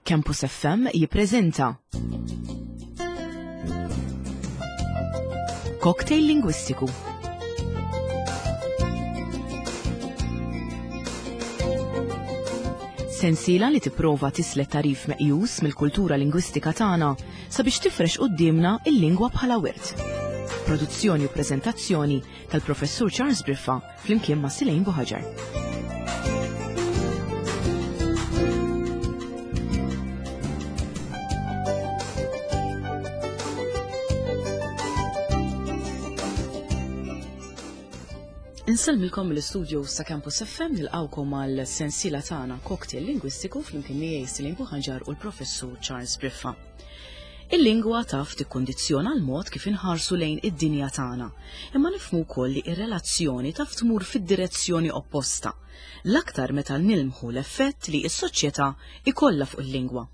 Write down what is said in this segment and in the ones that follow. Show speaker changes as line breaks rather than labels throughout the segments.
Campus FM jippreżenta Cocktail Lingwistiku. Sensiela li tipprova tislet tarif meqjus mill-kultura lingwistika tagħna sabiex tifrex quddiemna il-lingwa bħala wirt. Produzzjoni u preżentazzjoni tal-Professur Charles Briffa flimkien ma' Silejn Buħaġar. Insellmilkom mill-istudio sa' Campus FM nilqawkom għal sensiela tagħna Cocktail Lingwistiku flimkien miegħi Silejn Buħaġar u l-Professur Charles Briffa. Il-lingwa taf tikkundizzjona l-mod kif inħarsu lejn id-dinja tagħna, imma nifhmu wkoll li r-relazzjoni taf tmur fid-direzzjoni opposta, l-aktar meta nilmħu l-effett li s-soċjetà jkollha fuq il-lingwa.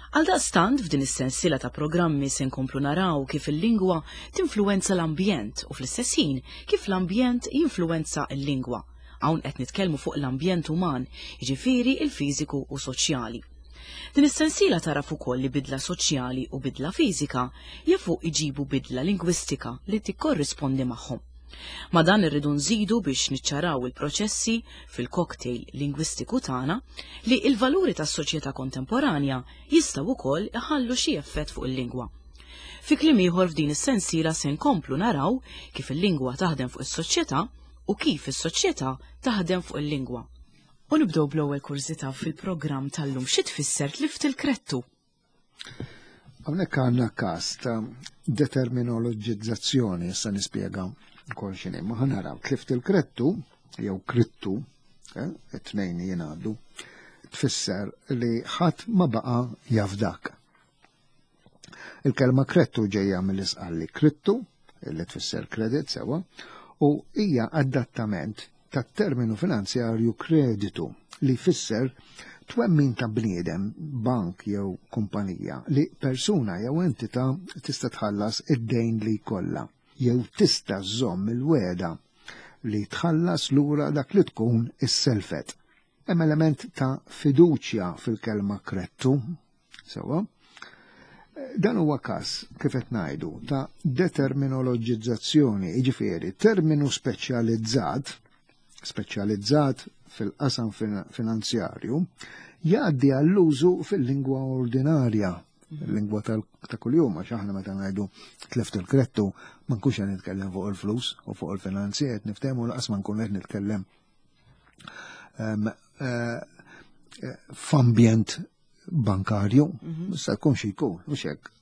Għaldaqstant f'din is-sensiela ta' programmi se nkomplu naraw kif il-lingwa tinfluwenza l-ambjent u fl-istess ħin kif l-ambjent jinfluwenza l-lingwa. Hawn qed nitkellmu fuq l-ambjent uman, jiġifieri l-fiżiku u soċjali. Din is-sensiela tagħraf ukoll li bidla soċjali u bidla fiżika jafu iġibu bidla lingwistika li tikkorrispondi magħhom. Ma' dan irridu nżidu biex niċċaraw il-proċessi fil-cocktail lingwistiku tagħna li l-valuri tas-soċjetà kontemporanja jistgħu wkoll iħallu xi effett fuq il-lingwa. Fi kliem ieħor f'din is-sensiela se nkomplu naraw kif il-lingwa taħdem fuq is-soċjetà u kif is-soċjetà taħdem fuq il-lingwa. U nibdew bl-ewwel kurżità fil-programm tal-lum. Xi tfisser tlift il-krettu?
Hawnhekk għandna każ ta' determinoloġizzazzjoni, issa nispjega wkoll x'inhi. Ma ħanaraw tlift il-krettu jew krittu, eh, it-tnejn jingħadu, tfisser li ħadd ma baqa' jafdak. Il-kelma krettu ġejja mill-isqalli krittu, li tfisser credit sewa, u hija adattament tat-terminu finanzjarju kreditu li jfisser twemmin ta' bniedem, bank jew kumpanija li persuna jew entità tista' tħallas id-dejn li jkollha jew tista' żżomm il-wegħda li tħallas lura dak li tkun isselfet. Hemm element ta' fiduċja fil-kelma krettu, Sewa. Dan huwa każ, kif qed ngħidu, ta' determinoloġizzazzjoni, jiġifieri terminu speċjalizzat, speċjalizzat fil-qasam finanzjarju, jgħaddi għall-użu fil-lingwa ordinarja, il-lingwa ta' kuljum, għax aħna meta ngħidu tleft il-krettu, ma nkunx qed nitkellem fuq il-flus u fuq il-finanzi, qed niftehmu laqas ma nkun qed nitkellem ehm, eh, eh, f'ambjent bankarju, mhm. sa jkun xi jkun, mhux hekk.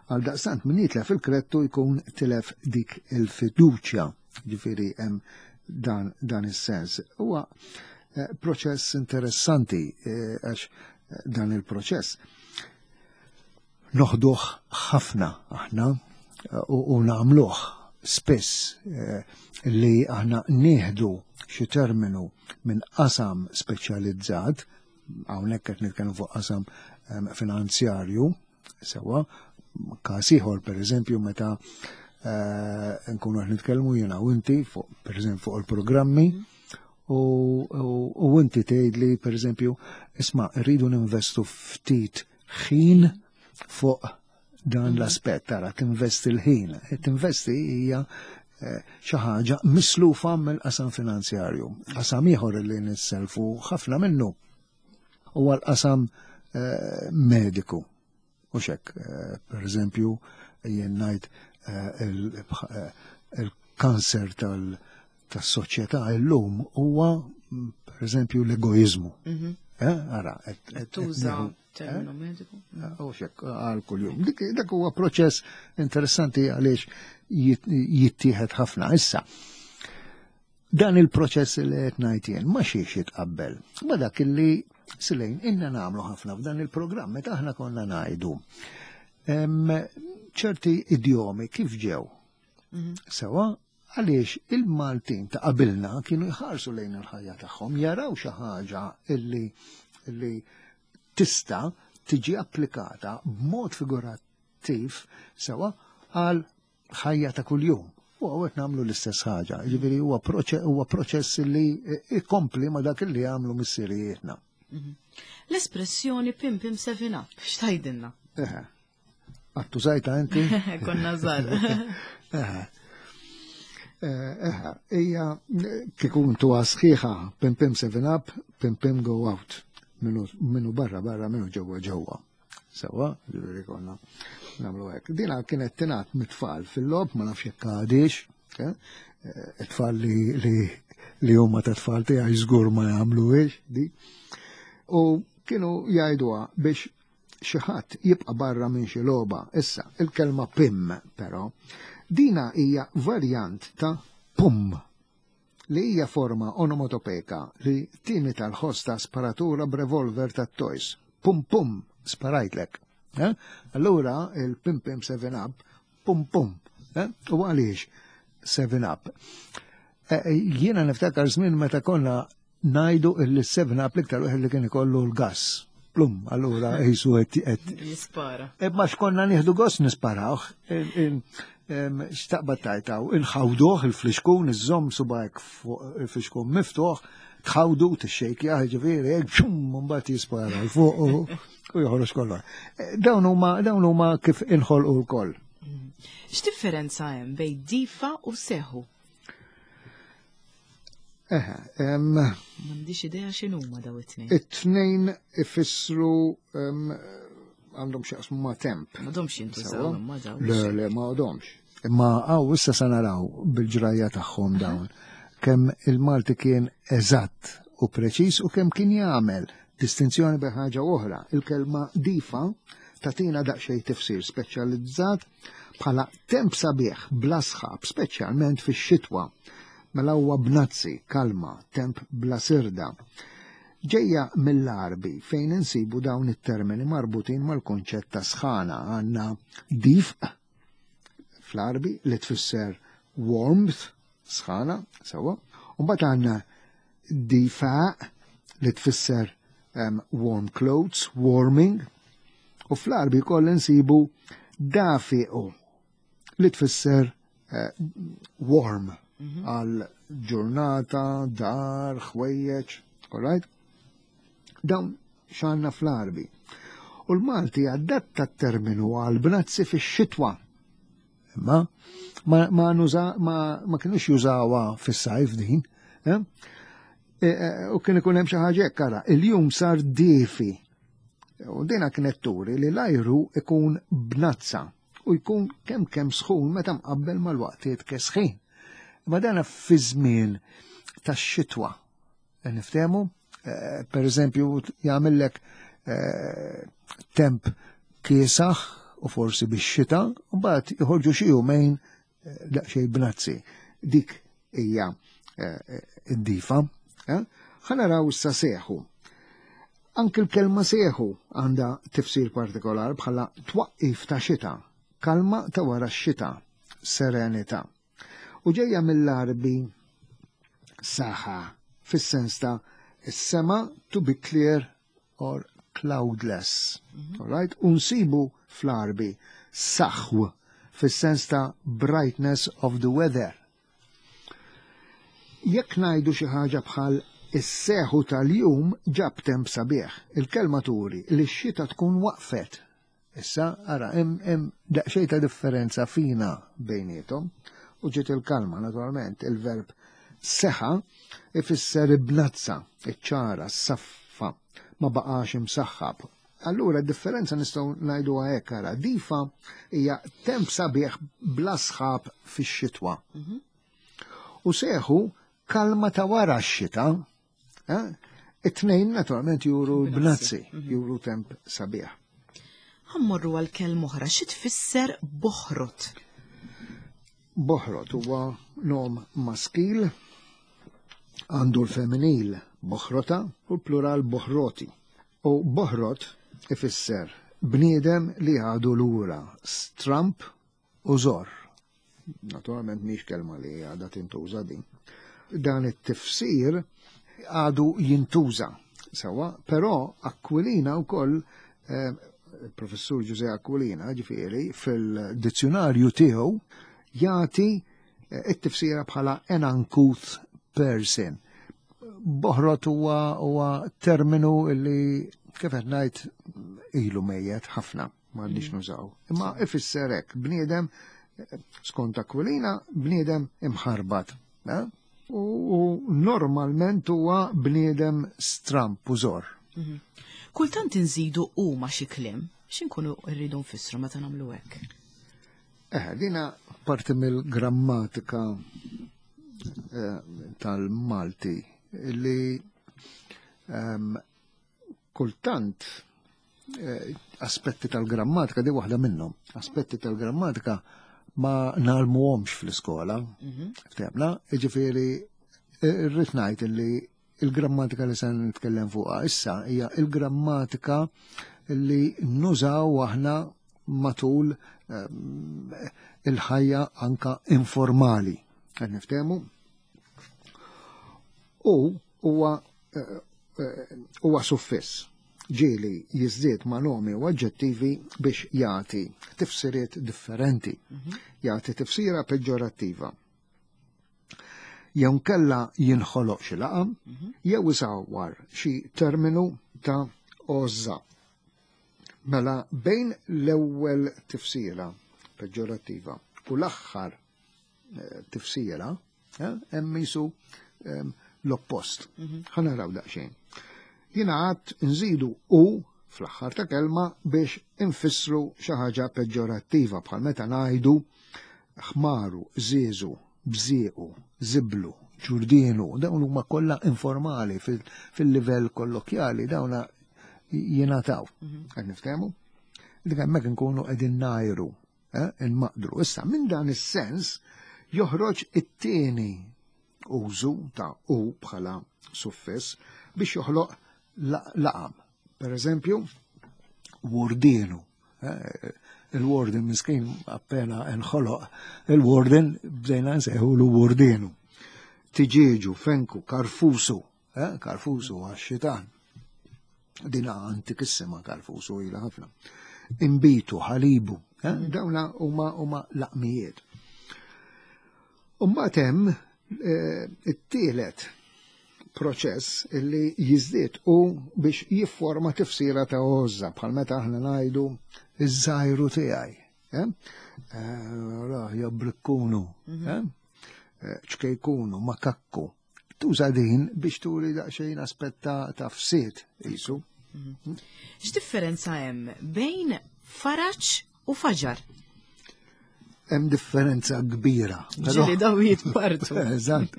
Għal daqstant min jitlef il-krettu jkun tilef dik il-fiduċja, ġifieri hemm dan, dan is-sens. Huwa eh, proċess interessanti eh, għax eh, dan il-proċess noħduh ħafna aħna u nagħmluh spiss li aħna nieħdu xi terminu minn qasam speċjalizzat hawnhekk qed nitkellmu fuq qasam ehm, finanzjarju, sewa, każ ieħor pereżempju meta eh, nkunu qed nitkellmu jiena u inti fuq pereżempju fuq il-programmi u inti tgħidli pereżempju isma' rridu ninvestu ftit ħin fuq dan mhm. l-aspett tara tinvesti l-ħin. E tinvesti hija eh, xi ħaġa mislufa mill-qasam finanzjarju. Qasam ieħor li nisselfu ħafna minnu huwa l-qasam eh, mediku. U xek, eh, per eżempju, jien ngħid il-kanser tal- tas-soċjetà illum huwa per eżempju l-egoizmu. Mhm. Ara,
tuża terminu eh? mediku.
Eh, u xek, għal kuljum. Dak huwa proċess interessanti għaliex jittieħed ħafna. Issa, dan il-proċess li qed ngħid jien ma xiex jitqabbel. Ma dak li silejn inna nagħmlu ħafna f'dan il-programm meta aħna konna ngħidu ċerti idjomi kif ġew. Mhm. Sewa, Għaliex il-Maltin ta' qabilna kienu jħarsu lejn il-ħajja tagħhom, jaraw xi ħaġa illi illi tista' tiġi applikata b'mod figurattiv sewa għal ħajja ta' kuljum. U għawet namlu l-istess ħaġa, ġifiri huwa proċess li ikompli ma dak li għamlu missirijietna.
L-espressjoni pim pim 7 up, x'tajdilna?
Eħe. Għattu zajta inti?
Konna żgħar.
Eħe. Eħe, hija kieku ntuha sħiħa pim pim 7 up, pim pim go out. Minu barra barra, minu ġewwa ġewwa. Sewa, ġifieri konna nagħmlu hekk. Dina kienet tingħad mit-tfal fil-logħob, ma nafx jekk għadix, eh? Eh, it-tfal li li li huma ta' tfal tiegħi żgur ma jagħmluhiex di. U kienu jgħiduha biex xi ħadd jibqa' barra minn xi logħba. Issa, il-kelma pim, però, dina hija varjant ta' pum li hija forma onomatopeka li timita l-ħoss ta' sparatura b'revolver tat-toys. Pum pum, sparajtlek. Eh? Allura il-pim pim 7 up, pum pum. Eh? U għaliex 7 up? Eh, jiena niftakar żmien meta konna ngħidu illi 7 up l-iktar wieħed li kien ikollu l-gass. Plum, allura jisu qed
jispara.
Ma x'konna nieħdu gost nisparawh, x'taqbad tajtaw, inħawduh il-flixkun, iżżomm subajk fuq il-flixkun miftuħ, tħawdu tixxejkjah ġifieri, hekk xum mbagħad jispara l fuq u joħroġ kollox. Eh, dawn huma dawn huma kif inħolqu wkoll.
X'differenza hemm bejn difa u seħu?
Eħe,
M'għandix idea x'inhuma daw it-tnejn.
It-tnejn ifissru għandhom x'jaqsmu ma' temp.
M'għadhomx jintużaw imma dawn.
Le, le, ma għadhomx. Imma għaw issa se naraw bil-ġrajja tagħhom dawn. Kemm il-Malti kien eżatt u preċiż u kemm kien jagħmel distinzjoni bejn ħaġa oħra. Il-kelma difa tatina daqsxejn tifsir speċjalizzat bħala temp sabiħ bla sħab, speċjalment fix-xitwa. Mela huwa bnazzi, kalma, temp bla sirda. Ġejja mill-Għarbi fejn insibu dawn it-termini marbutin mal-kunċett ta' sħana għandna difq fl-Għarbi li tfisser warmth, sħana, sewwa. U mbagħad għandna difaq li tfisser um, warm clothes, warming, u fl-Għarbi koll insibu dafiqu li tfisser uh, warm mhm. għal ġurnata, dar, ħwejjeġ, all right? Dawn xanna fl-Għarbi. U l-Malti adatta t-terminu għal bnazzi fix-xitwa. Imma ma, ma, nuża, ma, ma kienux jużawha fis-sajf din. Eh? E, e, u kien ikun hemm xi ħaġa hekk ara, il-jum sar difi. U dina kienet turi li l-ajru ikun bnazza u jkun kemm kemm sħun meta mqabbel mal-waqtiet kesħin. Ma dana fi żmien tax-xitwa. E, niftehmu, eh, per eżempju, jagħmellek eh, temp kiesaħ u forsi bix-xita, u mbagħad joħorġu xi jumejn eh, daqsxejn bnazzi. Dik hija id-difa. Ħa naraw issa seħu. Anki l-kelma seħu għandha tifsir partikolar bħala twaqqif ta' xita, kalma ta' wara x-xita, serenità. U ġejja mill-Għarbi saħa fis-sens ta' is-sema to be clear or cloudless. Mm -hmm. Right? U nsibu fl-Għarbi saħw fis-sens ta' brightness of the weather. Jekk ngħidu xi ħaġa bħal is-seħu tal-jum ġab temp sabiħ, il-kelma turi li x-xita tkun waqfet Issa, ara, hemm daqsxejn ta' differenza fina bejniethom u ġiet il-kalma, naturalment, il-verb seħa ifisser ibnazza, iċ-ċara, s-saffa, ma baqax imsaħħab. Allura differenza nistgħu ngħidu hekk ara, difa hija temp sabiħ bla sħab fix-xitwa. Mhm. U seħu kalma ta' wara x-xita, Eh? It-tnejn naturalment juru bnazzi, mhm. juru temp sabiħ.
Ħammorru għal kelm oħra, xi tfisser boħrot?
Boħrot huwa nom maskil, għandu l-femminil boħrota u l-plural boħroti. U boħrot ifisser bniedem li għadu lura, stramp u żorr. Naturalment mhix kelma li għadha tintuża din. Dan it-tifsir għadu jintuża sewa, però Aquilina wkoll eh, il-professur Ġuże Aquilina, ġifieri, fil-dizzjonarju tiegħu jagħti eh, it-tifsira bħala an uncouth person. Boħrot huwa huwa terminu li kif qed ngħid ilu mejjet ħafna m'għandniex mm. nużaw. Imma ifisser hekk bniedem skont Aquilina bniedem imħarbat. Eh? U normalment huwa bniedem stramp u żor.
Mhm. Kultant inżidu u ma xi kliem, x'inkunu rridu nfissru meta nagħmlu hekk?
Eh, dina parti mill-grammatika eh, tal-Malti li ehm, kultant eh, aspetti tal-grammatika, di waħda minnhom, aspetti tal-grammatika ma nalmuhomx fl-iskola, mhm. ftehmna, jiġifieri eh, rrid ngħid li il-grammatika li se nitkellem fuqha issa hija il-grammatika li nużaw aħna matul ehm, il-ħajja anka informali. Qed niftehmu? U huwa eh, eh, huwa suffiss ġieli jiżdied ma' nomi u aġġettivi biex jagħti tifsiriet differenti. Mhm. Jagħti tifsira peġġorattiva. Jew nkella jinħoloq xi laqam, mhm. jew isawwar xi terminu ta' għożża. Mela bejn l-ewwel tifsira peġġorattiva u l-aħħar eh, tifsira, eh, hemm jisu ehm, l-oppost. Mhm. Ħa naraw daqsxejn. Jiena għad nżidu u fl-aħħar ta' kelma biex infissru xi ħaġa peġġorattiva bħal meta ngħidu ħmaru, żieżu, bżiequ, żiblu, ġurdienu, dawn huma kollha informali fil-livell kollokjali dawna jingħataw. Mhm. Qed niftehmu? Dik hemmhekk inkunu qegħdin ngħajru, eh, inmaqdru. Issa minn dan is-sens joħroġ it-tieni użu ta' u bħala suffiss biex joħloq laqam. Per eżempju, wurdienu. Eh, il-warden miskin appena nħoloq il-warden bdejna nsejħu l wurdienu. Tiġieġu, fenku, karfusu, eh, karfusu għax-xitan. Dina antikissima karfusu ila ħafna. Imbitu, ħalibu, eh, dawna huma huma laqmijiet. Umbagħad hemm eh, it-tielet proċess illi jiżdied u biex jifforma tifsira ta' għożża bħal meta aħna ngħidu iż-żajru tiegħi. Eh? Eh, jabbrikkunu, mhm. eh? ċkejkunu, makakku. Tuża din biex turi daqsxejn aspett ta' fsied qisu.
Mhm. X'differenza hemm bejn faraġ u faġar?
Hemm differenza kbira.
Ġieli daw jitpartu.
Eżatt.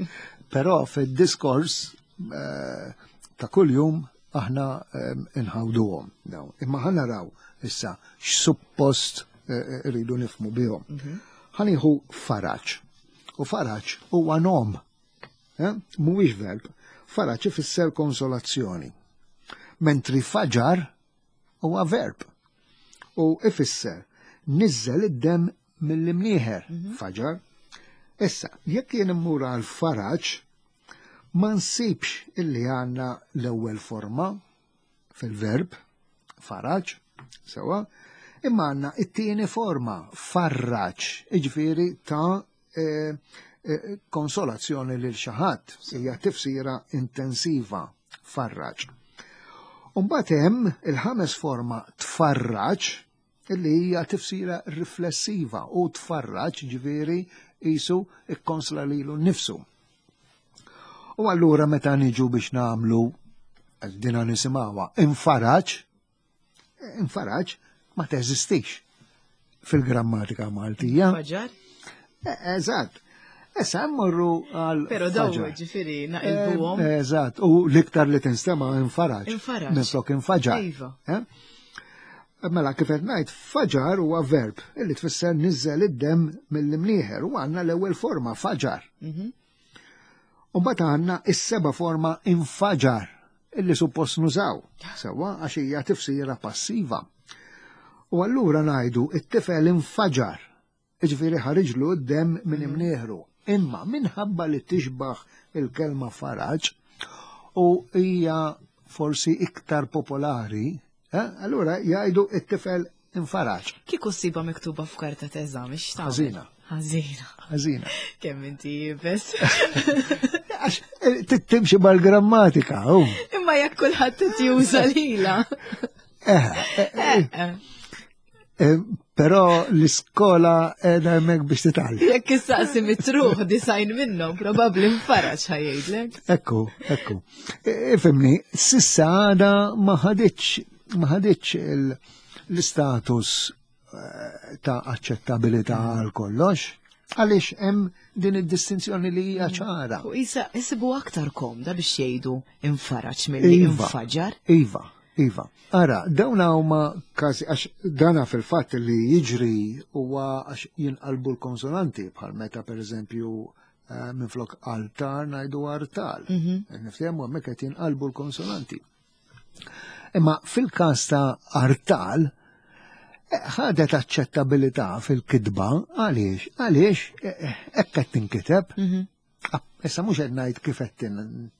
Però fid-diskors eh, ta' kuljum aħna eh, inħawduhom dawn. Imma ħa naraw issa x'suppost eh, rridu nifmu bihom. Mhm. Ħa nieħu faraġ. U faraġ huwa nom Eh? Mhuwiex verb. Faraġ ifisser konsolazzjoni. Mentri faġar huwa verb. U ifisser niżżel id-dem mill-imnieħer mhm. faġar. Issa, jekk jien immur għal faraġ, ma nsibx illi għandna l-ewwel forma fil-verb faraġ, sewa, imma għandna it-tieni forma farraġ, iġifieri ta' e, e, konsolazzjoni lil xi ħadd, hija tifsira intensiva farraġ. Umbagħad hemm il-ħames forma tfarraġ illi hija tifsira riflessiva u tfarraġ ġifieri qisu ikkonsla lilu nnifsu. U allura meta niġu biex nagħmlu dina nisimgħuha infaraġ, infaraġ ma teżistix fil-grammatika Maltija.
Faġar?
E, eżatt. Issa mmorru għal.
Pero daw ġifieri naqilbuhom.
E, eżatt, u l-iktar li tinstema' infaraġ.
Infaraġ.
Minflok infaġar.
Iva.
E? Mela kif qed ngħid, faġar huwa verb illi tfisser niżżel id-demm mill-imnieħer u għandna l-ewwel forma faġar. Mhm. U mbagħad għandna is-seba' forma infaġar illi suppost nużaw, sewwa għax hija tifsira passiva. U allura ngħidu it-tifel infaġar, jiġifieri ħariġlu d-demm minn mhm. imnieħru. Imma minħabba li tixbaħ il-kelma faraġ u hija forsi iktar popolari, eh, allura jgħidu it-tifel infaraġ.
Kieku ssiba miktuba f'karta t'eżami x'tagħmel?
Ħażina.
Ħażina.
Ħażina.
Kemm inti jibes.
Għax eh, timxi mal-grammatika.
Imma jekk kulħadd juża lila.
Eh, eh, Però l-iskola edha hemmhekk biex titgħallem.
Jekk issaqsi mitruħ disajn minnhom probabbli nfaraġ ħajdlek.
Ekku, ekku. Ifhimni, sissa għada ma ħaditx ma ħaditx l-istatus ta' aċċettabilità għal kollox, għaliex hemm din id-distinzjoni li hija ċara.
U isa isibu aktar komda biex jgħidu infaraġ milli iva, infaġar.
Iva, iva. Ara, dawn huma każi għax dana fil-fatt li jiġri huwa għax jinqalbu l-konsonanti bħal meta pereżempju eh, minflok altar ngħidu artal. Mhm. Niftehmu hemmhekk qed jinqalbu l-konsonanti. Imma fil-każ ta' artal, eh, ħadet aċċettabilità fil-kitba għaliex għaliex eh, eh, hekk qed tinkiteb. Mhm. Ah, issa mhux qed ngħid kif qed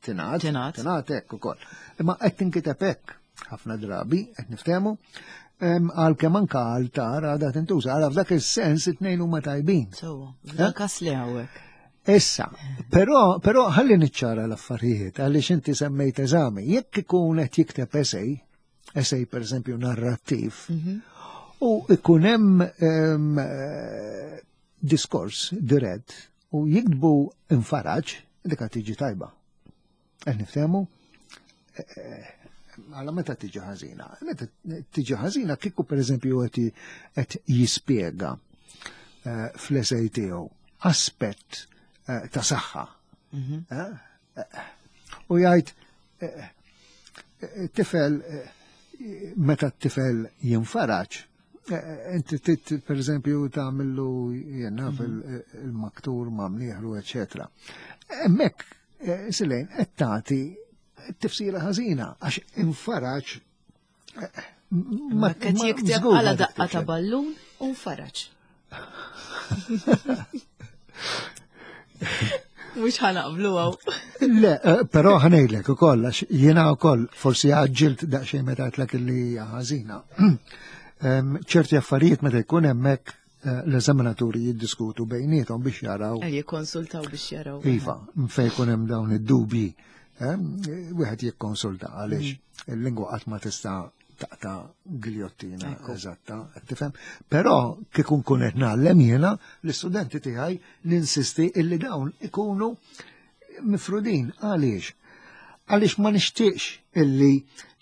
tingħad, tingħad hekk ukoll. Imma qed tinkiteb hekk ħafna drabi qed niftehmu għal kemm anka altar għadha tintuża, għala f'dak is-sens it-tnejn huma tajbin.
So, f'dak każ li hawnhekk.
Issa, però, però ħalli niċċara l-affarijiet għaliex inti semmejt eżami. Jekk ikun qed jikteb essay, essay per eżempju narrattiv, mhm. u ikun hemm eh, diskors dirett u jiktbu infaraġ, dik tiġi tajba. Qed niftehmu? Eh, eh, għala meta tiġi ħażina? Meta tiġi ħażina kieku pereżempju qed jispjega eh, fl-esej tiegħu aspett ta' saħħa. Mhm. U jgħid tifel meta t-tifel jinfaraġ, inti per eżempju tagħmillu jenna mhm. fil-maktur ma' mnieħru, eċetera. Hemmhekk Eh, Silejn, qed tagħti tifsira ħażina għax infaraġ
eh, ma qed jikteb għala daqqa ta' ballun u nfaraġ. Mux ħanaqblu għaw.
Le, eh, pero ħanejlek u koll, għax jena u koll, forsi għagġilt daqxej meta għatlek li ħażina. ċerti affarijiet meta jkun hemmhekk Eh, l-eżaminaturi jiddiskutu bejnietom biex jaraw.
Eh, jikkonsultaw biex jaraw.
Iva, fejn ikun hemm dawn id-dubji. Eh, wieħed jikkonsulta għaliex mm. il-lingwa qatt ma tista' taqta' giljottina eżatta, tifhem. Però kieku nkun qed ngħallem jiena l-istudenti tiegħi ninsisti illi dawn ikunu mifrudin għaliex. Għaliex ma nixtieqx illi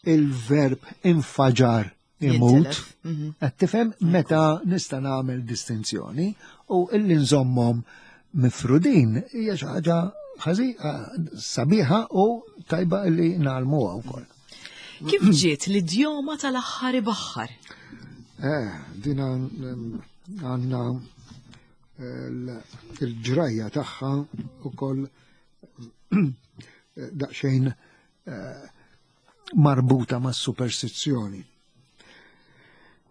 il-verb infaġar imut, mhm. qed tifhem meta nista' nagħmel distinzjoni u illi nżommhom mifrudin hija xi ħaġa sabiħa u tajba illi nagħlmuha wkoll.
Kif ġiet l-idjoma tal-aħħar ibaħħar?
Eh, dina mm, għandna eh, il-ġrajja tagħha ukoll daqsxejn eh, marbuta mas superstizzjoni.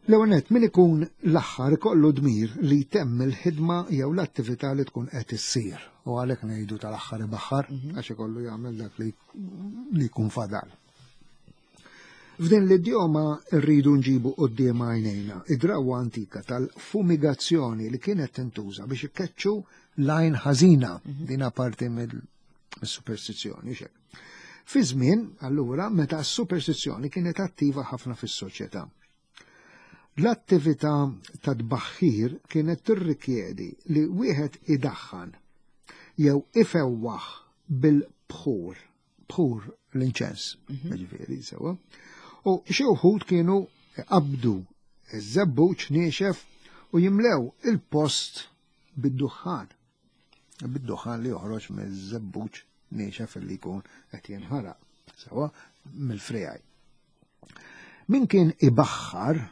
L-ewwel min ikun l-aħħar ikollu dmir li jtemm il-ħidma jew l-attività li tkun qed issir. U għalhekk ngħidu tal-aħħar ibaħħar mhm. għax ikollu jagħmel dak li jkun fadal. F'din l-idjoma rridu nġibu quddiem għajnejna id-drawwa antika tal-fumigazzjoni li kienet tintuża biex ikkeċċu lajn ħażina mhm. din parti mill-superstizzjoni xek. Fi żmien, allura, meta s-superstizzjoni kienet attiva ħafna fis-soċjetà. L-attività ta' tbaħħir kienet tirrikjedi li wieħed idaħħan jew ifewwaħ bil-bħur, bħur l-inċens, mhm. ġifieri sewa. U xi wħud kienu qabdu iż-żebbuġ niexef u jimlew il-post bid-duħħan. Bid-duħħan li joħroġ miż-żebbuġ niexef li jkun qed jinħaraq, sewa mill-frijaj. Min kien ibaħħar,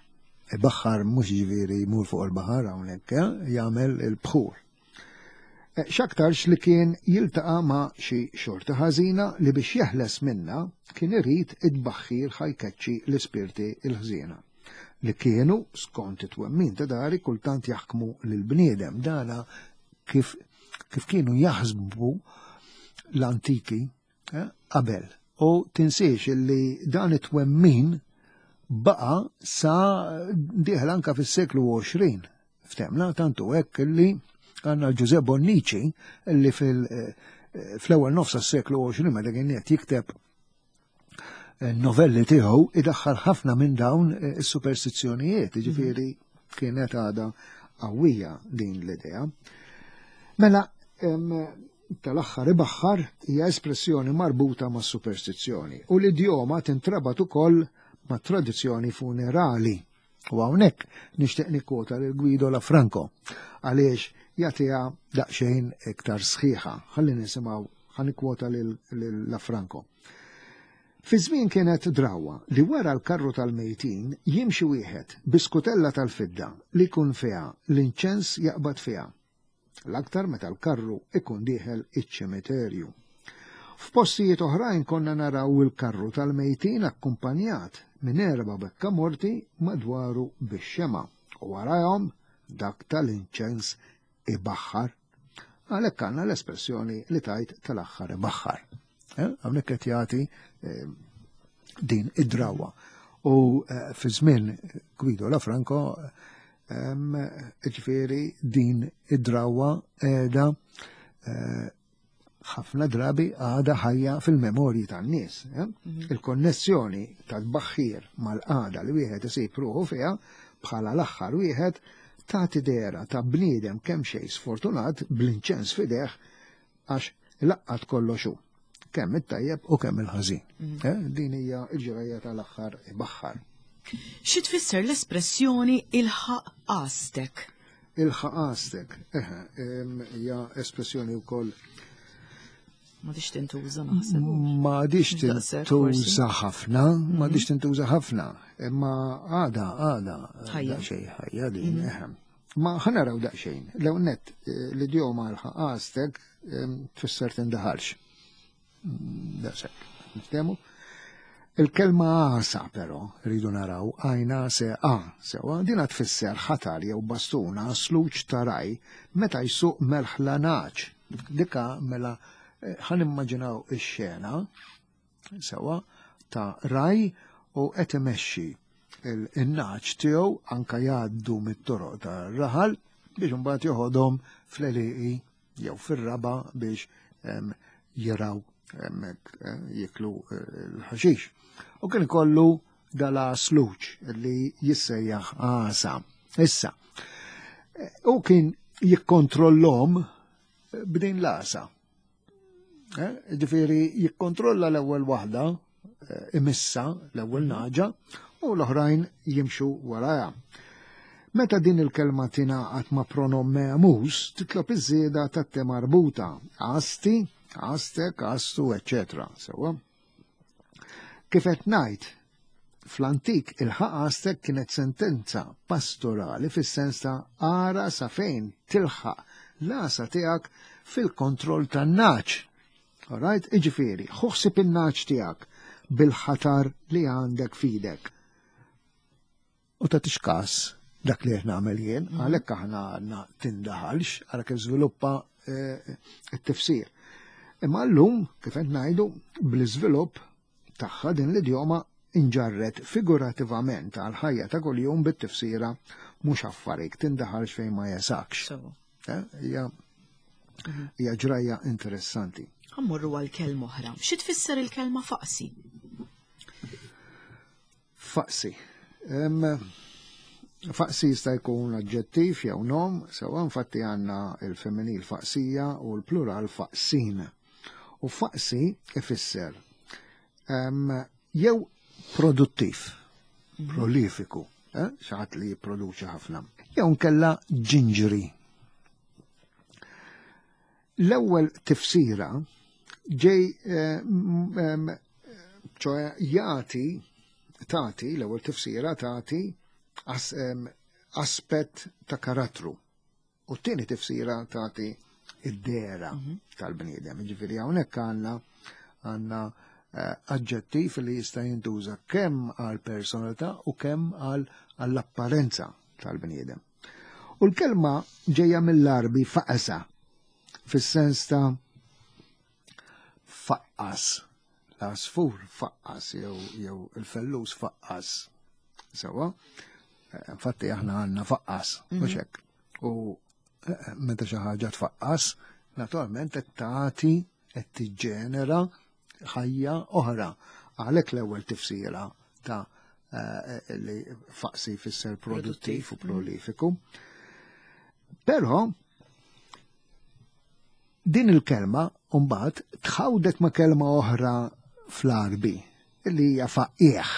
ibaħħar mhux ġifieri jmur fuq il-baħar hawnhekk, eh, jagħmel il-bħur. Eh, x'aktarx li kien jiltaqa' ma' xi xorta ħażina li biex jeħles minna kien irid id-baħħir ħajkeċċi l-ispirti l-ħżiena li kienu skont it-twemmin ta' dari kultant jaħkmu lill-bniedem dana kif kif kienu jaħsbu l-antiki eh, qabel. U tinsiex li dan it-twemmin baqa sa diħel anka fis-seklu 20. Ftemna tantu hekk li għandna Ġuże Bonnici li fil- fl-ewwel nofs tas-seklu 20 meta kien qed jikteb eh, novelli tiegħu idaħħal ħafna minn dawn eh, is-superstizzjonijiet, jiġifieri kienet għadha qawwija din l-idea. Mela, tal-aħħar ibaħħar hija espressjoni marbuta ma' superstizzjoni u l-idjoma tintrabat ukoll ma' tradizzjoni funerali. U hawnhekk nixtieq nikkwota lil Guido Lafranco għaliex jagħtiha daqsxejn iktar sħiħa. Ħalli nisimgħu ħa nikkwota lil Lafranco. Fi żmien kienet drawwa li wara l-karru tal-mejtin jimxi wieħed bi skutella tal-fidda li jkun fiha l-inċens jaqbad fiha. L-aktar meta l-karru ikun dieħel iċ-ċimiterju. F'postijiet oħrajn konna naraw il-karru tal-mejtin akkumpanjat minn erba' bekkamorti madwaru bix-xemgħa u warajhom dak tal-inċens ibaħħar. Għalhekk għandna l-espressjoni li tgħid tal-aħħar ibaħħar. Eh, hawnhekk qed jagħti eh, din id-drawa. U eh, fi żmien Guido Lafranco ġifieri din id-drawa qiegħda ħafna drabi għada ħajja fil-memorji tan-nies. Mhm. Il-konnessjoni tal-baħħir mal-qagħda li wieħed isib ruħu fiha bħala l-aħħar wieħed tagħti dehra ta' bniedem kemm xejn sfortunat bl-inċens f'idejh għax laqqat kollox hu, kemm it-tajjeb u kemm il-ħażin. Mm. Eh, din hija l-ġrajja tal-aħħar ibaħħar.
Xi tfisser l-espressjoni ilħaq għastek?
Ilħaq għastek, eħe, hija espressjoni wkoll
Ma dix tintuża naħseb.
Ma dix tintuża ħafna, ma dix mhm. tintuża ħafna, imma għada, għada, xejn ħajja din, mhm. eħe. Ma ħa naraw daqsxejn. L-ewwel nett eh, l-idjoma l-ħaqastek tfisser tindaħalx. Mm, daqshekk. Niftehmu? Il-kelma għasa però rridu naraw għajna se a sewa dina tfisser ħatar jew bastuna sluċ ta' raj meta jsuq merħla naċ. Dika mela eh, ħan immaġinaw ix-xena sewa ta' raj u qed imexxi il-naċ tiegħu anka jgħaddu mit-toroq tar-raħal biex imbagħad joħodhom fl-għelieqi jew fir-raba biex jiraw hemmhekk eh, jiklu eh, l-ħaxix. U kien ikollu dala sluċ li jissejjaħ għasa. Issa, eh, u kien jikkontrollhom b'din l-għasa. Eh, ġifieri jikkontrolla l-ewwel waħda, eh, imissa l-ewwel naġa, u l-oħrajn jimxu warajha. Meta din il-kelma tingħaqad ma' pronom memus, titlob iż-żieda tat-te marbuta, għasti, għastek, għastu, eċċetera. Sewwa. Kif qed ngħid, fl-antik il-ħaqastek kienet sentenza pastorali fis-sens ta' ara sa fejn tilħaq l-għasa tiegħek fil-kontroll tan-naċ. Alright, iġifieri, ħuħsib in-naċ tiegħek bil-ħatar li għandek fidek. U tagħtix każ dak li qed nagħmel jien, mhm. għalhekk aħna għandna tindaħalx, għara kif żviluppa eh, t-tifsir. Imma llum, kif qed ngħidu, bl-iżvilupp tagħha din l-idjoma inġarret figurativament għal ħajja ta' kuljum bit-tifsira mhux affarik tindaħalx fejn ma jesakx. Eh, hija mhm. hija ġrajja interessanti.
Ħammurru għal kelma oħra. Xi tfisser il-kelma faqsi?
Faqsi. Faqsi jista' jkun aġġettiv jew nom, sewa infatti għandna il-femminil faqsija u l-plural faqsin. U faqsi ifisser jew produttiv, mhm. prolifiku, eh, xi ħadd li jipproduċi ħafna, jew nkella ġinġri. L-ewwel tifsira ġej eh, ċoħe jagħti tagħti l-ewwel tifsira tagħti aspett ta' karattru. U t-tieni tifsira tagħti id-dera mhm. tal-bniedem. Ġifieri hawnhekk għandna għandna eh, aġġettiv li jista' jintuża kemm għal personalità u kemm għal apparenza tal-bniedem. U l-kelma ġejja mill-Arbi faqasa, fis-sens ta' faqqas, l-għasfur faqqas jew jew il-fellus faqqas. Sewa, eh, infatti aħna għandna faqqas, mhm. mhux hekk. U eh, meta xi ħaġa tfaqqas, naturalment qed tagħti qed tiġġenera ħajja oħra. Għalhekk l-ewwel tifsira ta' eh, li faqsi jfisser produttiv u prolifiku. Però din il-kelma mbagħad tħawdet ma' kelma oħra fl-Arbi li hija faqieħ.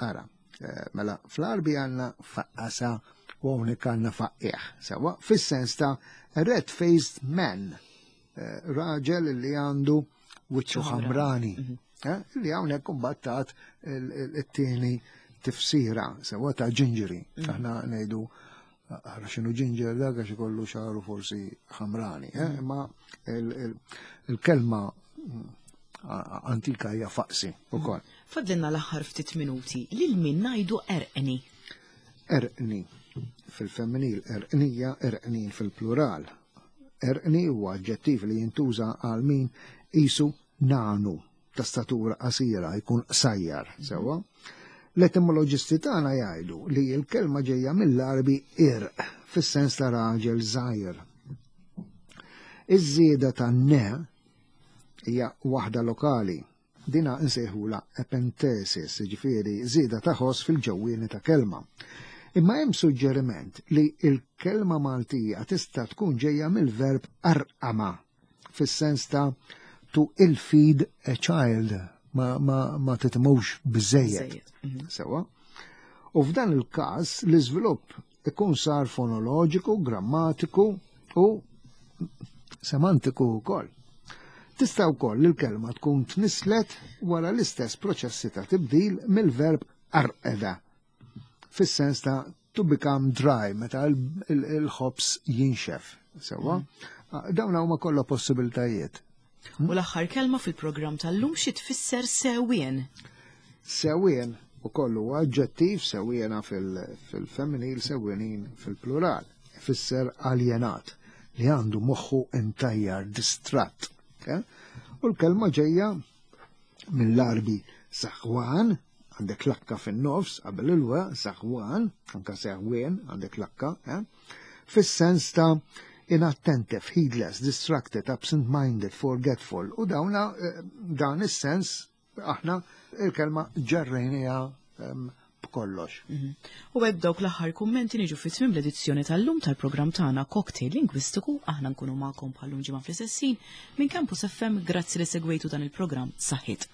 Ara, eh, mela fl-Arbi għandna faqqasa u hawnhekk għandna faqieħ. Sewa fis-sens ta' red-faced man, eh, raġel li għandu wiċċu ħamrani. Mhm. Eh, li hawnhekk imbagħad tat it-tieni tifsira sewa ta' ġinġeri. Mhm. Aħna ngħidu Għara xinu ġinġer dak għax ikollu xaru forsi ħamrani, eh? Mm. imma il-kelma mm, antika hija faqsi ukoll. Mm.
Fadlinna l-aħħar ftit minuti lil min ngħidu erqni.
Erqni fil-femminil, erqnija, erqnin fil-plural. Erqni huwa aġġettiv li jintuża għal min isu nanu ta' statura qasira, jkun qsajjar, sewwa. L-etimoloġisti tagħna jgħidu li l-kelma ġejja mill-Għarbi irq, fis-sens ta' raġel żgħir. Iż-żieda ta' ne hija waħda lokali. Dina nsejħula epentesis, jiġifieri żieda ta' ħoss fil-ġewwieni ta' kelma. Imma hemm suġġeriment li l-kelma Maltija tista' tkun ġejja mill-verb arqama fis-sens ta' to ill-feed a child, ma, ma, ma titimux biżejjed. Mhm. Sewa. U f'dan il-każ l-iżvilupp ikun sar fonoloġiku, grammatiku u semantiku wkoll. Tista' wkoll il-kelma tkun tnislet wara l-istess proċessi ta' tibdil mill-verb arqeda fis-sens ta' to become dry, meta il-ħobs jinxef. Sewa, mm. ah, dawn huma kollha possibiltajiet.
U l-aħħar kelma fil-programm tal-lum xi tfisser sewien?
Sewien u kollu aġġettiv sewiena fil-femminil, sewienin fil-plural. Fisser aljenat li għandu moħħu intajjar distratt. Eh? U l-kelma ġejja mill-Arbi saħwan, għandek lakka fin-nofs qabel il-wa, saħwan, anka seħwien, għandek lakka, eh? fis-sens ta' inattentive, heedless, distracted, absent-minded, forgetful, u dawna eh, dan is-sens aħna il-kelma ġarrejnija ehm, b'kollox. Mhm.
U hekk dawk l-aħħar kummenti niġu fi tmiem l-edizzjoni tal-lum tal-programm tagħna Cocktail Lingwistiku aħna nkunu magħkom bħallum ġimgħa fl-istessin minn Campus FM grazzi li segwejtu dan il-programm saħħit.